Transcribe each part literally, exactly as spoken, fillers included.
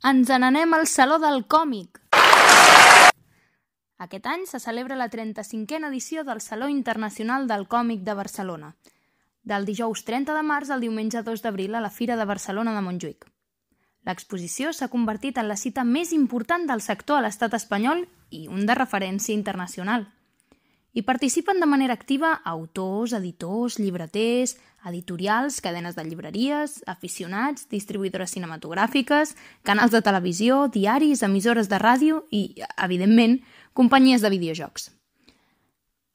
ens n'anem al Saló del Còmic! Aquest any se celebra la trenta-cinquena edició del Saló Internacional del Còmic de Barcelona, del dijous trenta de març al diumenge dos d'abril a la Fira de Barcelona de Montjuïc. L'exposició s'ha convertit en la cita més important del sector a l'estat espanyol i un de referència internacional. Hi participen de manera activa autors, editors, llibreters, editorials, cadenes de llibreries, aficionats, distribuïdores cinematogràfiques, canals de televisió, diaris, emissores de ràdio i, evidentment, companyies de videojocs.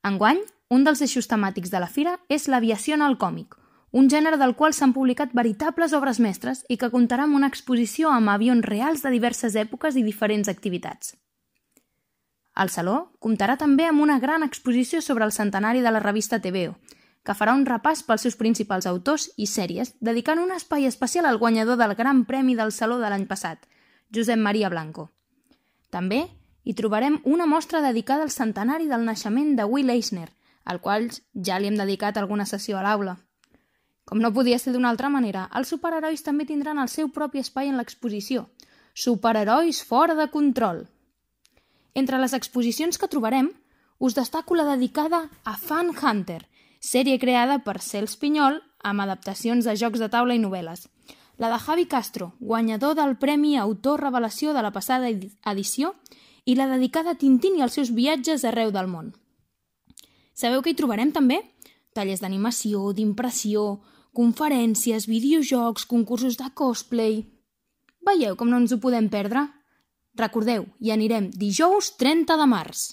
Enguany, un dels eixos temàtics de la fira és l'aviació en el còmic, un gènere del qual s'han publicat veritables obres mestres i que comptarà amb una exposició amb avions reals de diverses èpoques i diferents activitats. El Saló comptarà també amb una gran exposició sobre el centenari de la revista T V O, que farà un repàs pels seus principals autors i sèries, dedicant un espai especial al guanyador del Gran Premi del Saló de l'any passat, Josep Maria Blanco. També hi trobarem una mostra dedicada al centenari del naixement de Will Eisner, al qual ja li hem dedicat alguna sessió a l'aula. Com no podia ser d'una altra manera, els superherois també tindran el seu propi espai en l'exposició. Superherois fora de control! Entre les exposicions que trobarem, us destaco la dedicada a Fan Hunter, sèrie creada per Cels Pinyol amb adaptacions de jocs de taula i novel·les. La de Javi Castro, guanyador del Premi Autor Revelació de la passada edició, i la dedicada a Tintín i els seus viatges arreu del món. Sabeu que hi trobarem també? Tallers d'animació, d'impressió, conferències, videojocs, concursos de cosplay... Veieu com no ens ho podem perdre? Recordeu, hi anirem dijous trenta de març.